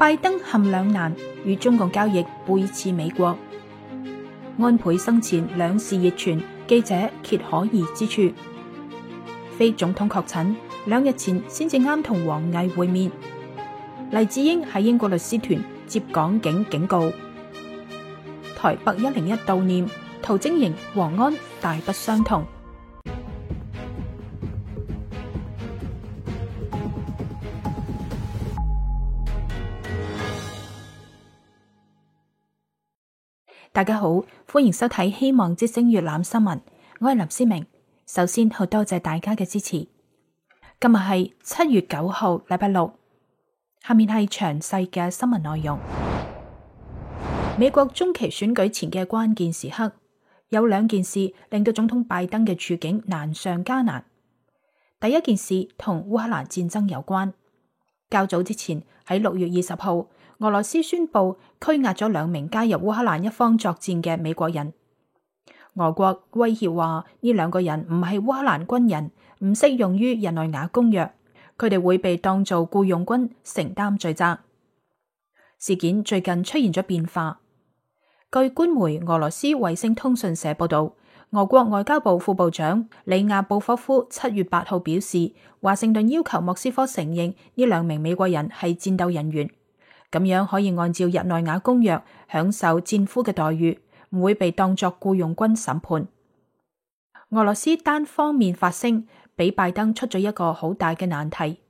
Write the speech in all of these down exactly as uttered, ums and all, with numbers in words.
拜登陷兩難，與中共交易背刺美國。安倍生前兩事熱傳，記者揭可疑之處。非總統確診，兩日前先至啱同王毅會面。黎智英喺英國律師團接港警警告。台北一零一悼念陶晶瑩、黃安大不相同。大家好，歡迎收睇希望之聲粵覽新聞，我係林思明。首先好多謝大家嘅支持。今日係七月九號，禮拜六。下面係詳細嘅新聞內容。美國中期選舉前嘅關鍵時刻，有兩件事令到總統拜登嘅處境難上加難。第一件事同烏克蘭戰爭有關。較早之前喺六月二十號，俄羅斯宣布拘押咗兩名加入烏克蘭一方作戰嘅美國人。俄國威脅話呢兩個人唔係烏克蘭軍人，唔適用於日內瓦公約，佢哋會被當做僱傭軍承擔罪責。事件最近出現咗變化。據官媒俄羅斯衛星通訊社報道，俄國外交部副部長里亞布科夫七月八號表示，華盛頓要求莫斯科承認呢兩名美國人係戰鬥人員，咁樣可以按照日內瓦公約享受戰俘嘅待遇，唔會被當作僱傭軍審判。俄羅斯單方面發聲，俾拜登出咗一個好大嘅難題。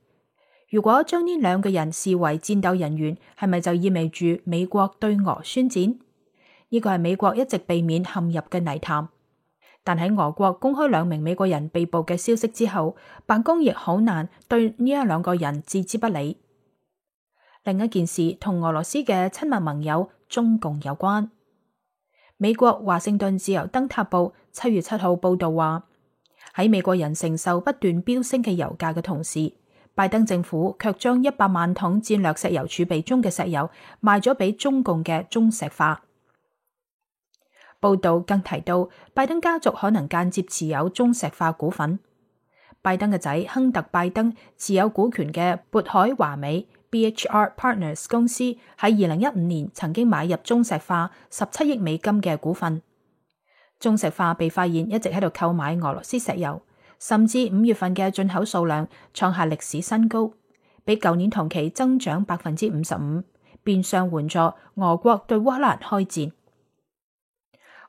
如果將呢兩個人視為戰鬥人員，係咪就意味住美國對俄宣戰？呢個係美國一直避免陷入嘅泥潭。但喺俄國公開兩名美國人被捕嘅消息之後，白宮亦好難對呢一兩個人置之不理。另一件事同俄羅斯嘅親密盟友中共有關。美國華盛頓自由燈塔報七月七號報道話，喺美國人承受不斷飆升嘅油價嘅同時，拜登政府卻將一百萬桶戰略石油儲備中嘅石油賣咗俾中共嘅中石化。報道更提到，拜登家族可能間接持有中石化股份。拜登嘅仔亨特拜登持有股權嘅渤海華美 B H R Partners 公司喺二零一五年曾經買入中石化十七億美金嘅股份。中石化被發現一直喺度購買俄羅斯石油，甚至五月份嘅進口數量創下歷史新高，比舊年同期增長百分之五十五，變相援助俄國對烏克蘭開戰。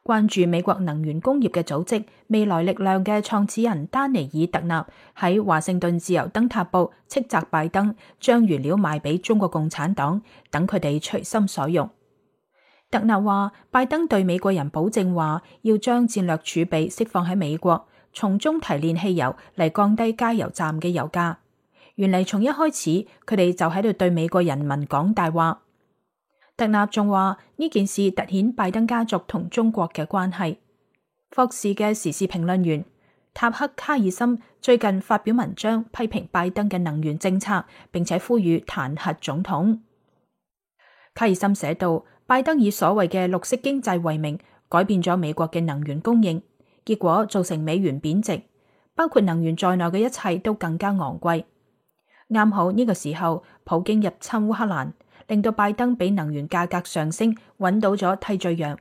關注美國能源工業嘅組織未來力量嘅創始人丹尼爾特納喺華盛頓自由燈塔報斥責拜登將原料賣俾中國共產黨，等佢哋隨心所欲。特納話，拜登對美國人保證話要將戰略儲備釋放喺美國，從中提煉汽油嚟降低加油站嘅油價。原嚟從一開始佢哋就喺度對美國人民講大話。特納仲話呢件事凸顯拜登家族同中國嘅關係。霍士嘅時事評論員塔克卡爾森最近發表文章批評拜登嘅能源政策，並且呼籲彈劾總統。卡爾森寫道，拜登以所謂嘅綠色經濟為名，改變咗美國嘅能源供應，結果造成美元貶值，包括能源在內嘅一切都更加昂貴。啱好呢個時候，普京入侵烏克蘭，令到拜登比能源價格上升揾到咗替罪羊。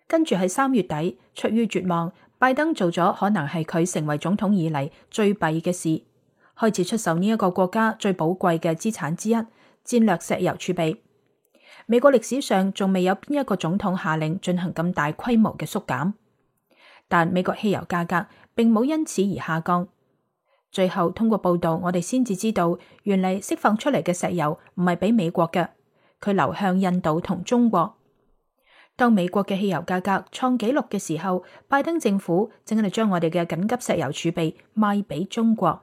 跟住喺三月底，出於絕望，拜登做咗可能係佢成為總統以嚟最弊嘅事，開始出售呢一個國家最寶貴嘅資產之一——戰略石油儲備。美國歷史上仲未有邊一個總統下令進行咁大規模嘅縮減，但美國汽油價格並冇因此而下降。最後通過報道，我哋先至知道，原嚟釋放出嚟嘅石油唔係俾美國嘅，佢流向印度同中國。當美國嘅汽油價格創紀錄嘅時候，拜登政府正喺度將我哋嘅緊急石油儲備賣俾中國。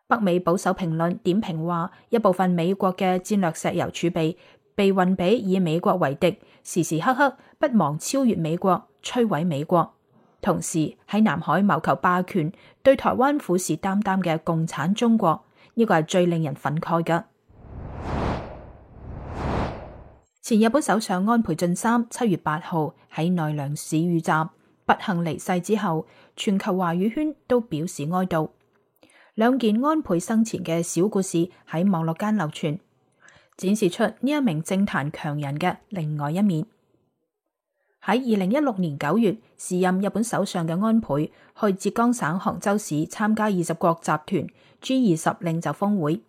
北美保守評論點評話，一部分美國嘅戰略石油儲備被運俾以美國為敵，時時刻刻不忘超越美國、摧毀美國，同時喺南海謀求霸權、對台灣虎視眈眈嘅共產中國，呢個係最令人憤慨嘅。前日本首相安倍晉三七月八號喺奈良市遇襲，不幸離世之後，全球華語圈都表示哀悼。兩件安倍生前嘅小故事喺網絡間流傳。展示出呢一名政壇強人嘅另外一面。喺二零一六年九月，時任日本首相嘅安倍去浙江省杭州市參加二十國集團 G 二十領袖峰會。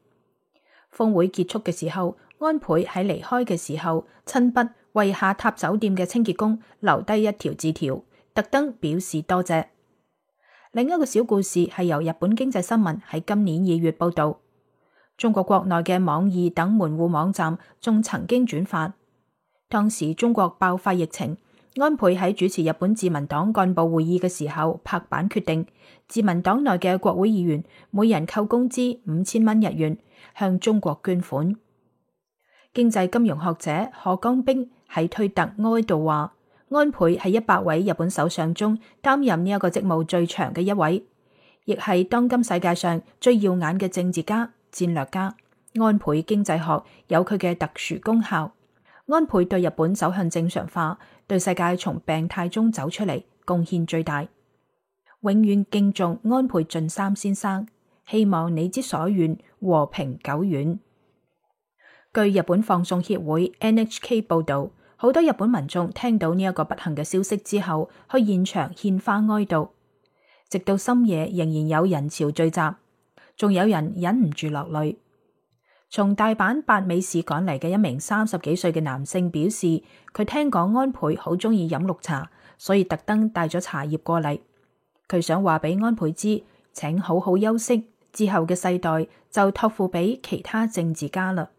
峰會結束嘅時候，安倍喺離開嘅時候，親筆為下榻酒店嘅清潔工留低一條字條，特登表示多謝。另一個小故事係由日本經濟新聞喺今年二月報道，中國國內嘅網易等門戶網站仲曾經轉發。當時中國爆發疫情，安倍喺主持日本自民黨幹部會議嘅時候拍板決定，自民黨內嘅國會議員每人扣工資五千蚊日元，向中國捐款。經濟金融學者賀江兵喺推特哀悼話，安倍係一百位日本首相中擔任呢一個職務最長嘅一位，亦係當今世界上最耀眼嘅政治家、戰略家。安倍經濟學有佢嘅特殊功效。安倍對日本走向正常化，對世界從病態中走出嚟貢獻最大。永遠敬重安倍晉三先生，希望你之所願和平久遠。據日本放送協會 N H K 報道，好多日本民眾聽到呢一個不幸嘅消息之後，去現場獻花哀悼，直到深夜仍然有人潮聚集，仲有人忍唔住落淚。從大阪八尾市趕嚟嘅一名三十幾歲嘅男性表示，佢聽講安倍好鍾意飲綠茶，所以特登帶咗茶葉過嚟。佢想話俾安倍知，請好好休息，之後嘅世代就託付俾其他政治家啦。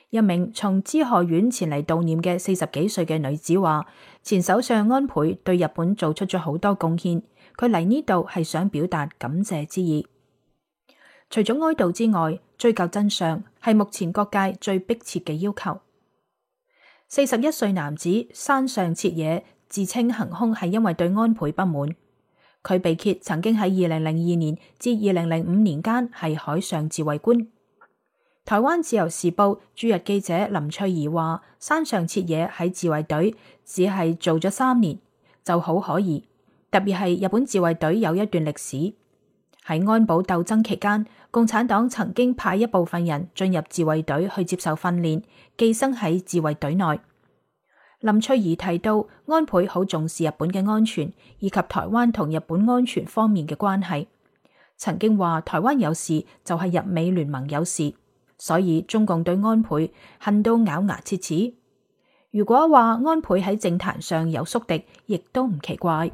一名從滋賀縣前嚟悼念嘅四十幾歲嘅女子話，前首相安倍對日本做出咗好多貢獻，佢嚟呢度係想表達感謝之意。除咗哀悼之外，追究真相係目前各界最迫切嘅要求。四十一歲男子山上徹也自稱行兇係因為對安倍不滿，佢被揭曾經喺二零零二年至二零零五年間係海上自衛官。台灣自由時報駐日記者林翠儀話，山上徹也喺自衛隊只係做咗三年就好可疑，特別係日本自衛隊有一段歷史。喺安保鬥爭期間，共產黨曾經派一部分人進入自衛隊去接受訓練，寄生喺自衛隊內。林翠儀提到，安倍好重視日本嘅安全，以及台灣同日本安全方面嘅關係。曾經話台灣有事就係日美聯盟有事，所以中共對安倍恨到咬牙切齒。如果話安倍喺政壇上有宿敵，亦都唔奇怪。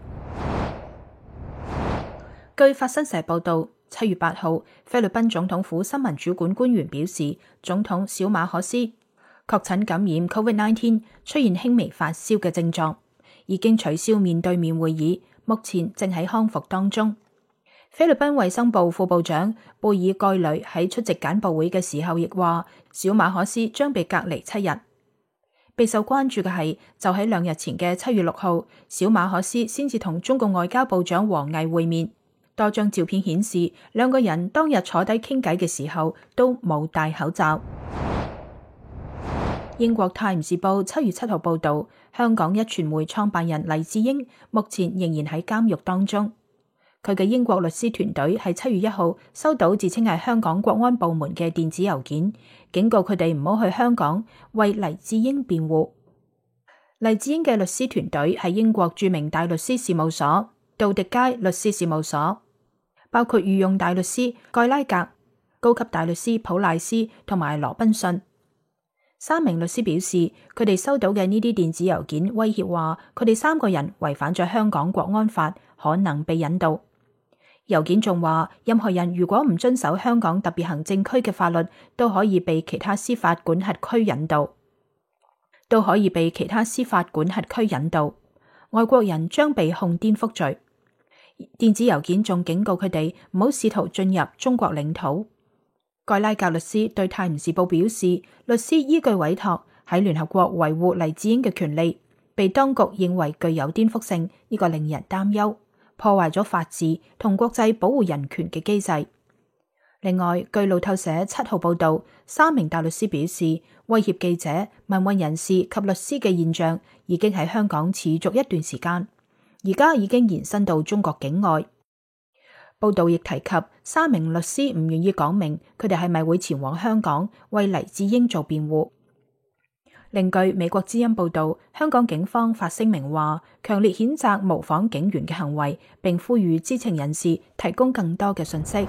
據法新社報道，七月八號，菲律賓總統府新聞主管官員表示，總統小馬可斯確診感染 COVID 十九， 出現輕微發燒嘅症狀，已經取消面對面會議，目前正喺康復當中。菲律賓衛生部副部長貝爾蓋雷喺出席簡報會嘅時候亦話，小馬可斯將被隔離七日。備受關注嘅係，就喺兩日前嘅七月六號，小馬可斯先至同中共外交部長王毅會面。多張照片顯示，兩個人當日坐低傾偈嘅時候都冇戴口罩。英國泰晤士報七月七號報道，香港一傳媒創辦人黎智英目前仍然喺監獄當中。佢嘅英國律師團隊喺七月一號收到自稱係香港國安部門嘅電子郵件，警告佢哋唔好去香港為黎智英辯護。黎智英嘅律師團隊係英國著名大律師事務所杜迪街律師事務所，包括御用大律師蓋拉格、高級大律師普賴斯同埋羅賓遜。三名律師表示，佢哋收到嘅呢啲電子郵件威脅話，佢哋三個人違反咗香港國安法，可能被引渡。郵件仲話，任何人如果唔遵守香港特別行政區嘅法律，都可以被其他司法管轄區引渡，都可以被其他司法管轄區引渡。外國人將被控顛覆罪。電子郵件仲警告佢哋唔好試圖進入中國領土。蓋拉格律師對泰晤士報表示，律師依據委託喺聯合國維護黎智英嘅權利，被當局認為具有顛覆性，呢個令人擔憂，破壞咗法治同國際保護人權嘅機制。另外，據路透社七號報道，三名大律師表示，威脅記者、民運人士及律師嘅現象已經喺香港持續一段時間，而家已經延伸到中國境外。報道亦提及三名律師唔願意講明佢哋係咪會前往香港為黎智英做辯護。另據美國之音報道，香港警方發聲明話，強烈譴責模仿警員嘅行為，並呼籲知情人士提供更多嘅信息。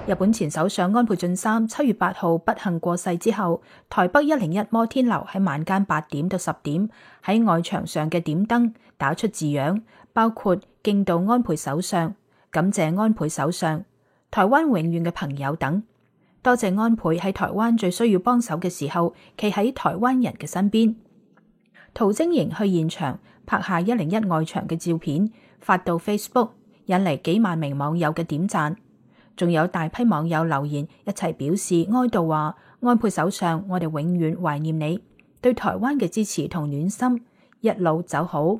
日本前首相安倍晉三七月八號不幸過世之後，台北一零一摩天樓喺晚間八點到十點喺外牆上嘅點燈打出字樣，包括敬悼安倍首相、感謝安倍首相、台灣永遠嘅朋友等。多謝安倍喺台灣最需要幫手嘅時候，企喺台灣人嘅身邊。陶晶瑩去現場拍下一零一外牆嘅照片，發到 Facebook， 引嚟幾萬名網友嘅點讚。仲有大批網友留言一齊表示哀悼，話安倍首相，我哋永遠懷念你，對台灣嘅支持同暖心，一路走好。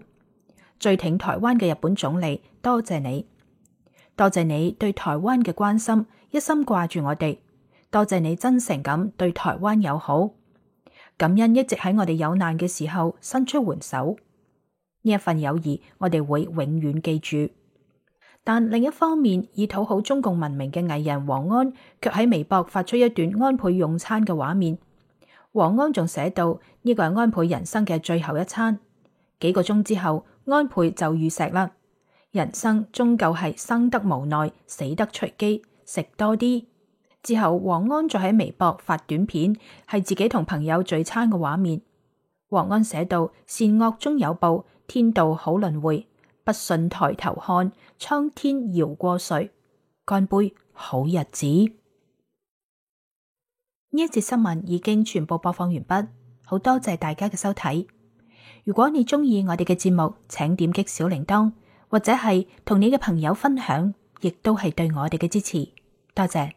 最挺台灣嘅日本總理，多謝你，多謝你對台灣嘅關心，一心掛住我哋。多謝你真誠咁對台灣友好，感恩一直喺我哋有難嘅時候伸出援手，呢一份友誼我哋會永遠記住。但另一方面，以討好中共文明嘅藝人黃安，卻喺微博發出一段安倍用餐嘅畫面。黃安仲寫到呢個係安倍人生嘅最後一餐。幾個鐘之後，安倍就遇錫啦。人生終究係生得無奈，死得隨機，食多啲。之後，黃安再喺微博發短片，係自己同朋友聚餐嘅畫面。黃安寫道：善惡終有報，天道好輪迴，不信抬頭看，蒼天饒過誰？乾杯，好日子。呢一節新聞已經全部播放完畢，好多謝大家嘅收睇。如果你鍾意我哋嘅節目，請點擊小鈴鐺，或者係同你嘅朋友分享，亦都係對我哋嘅支持。多謝。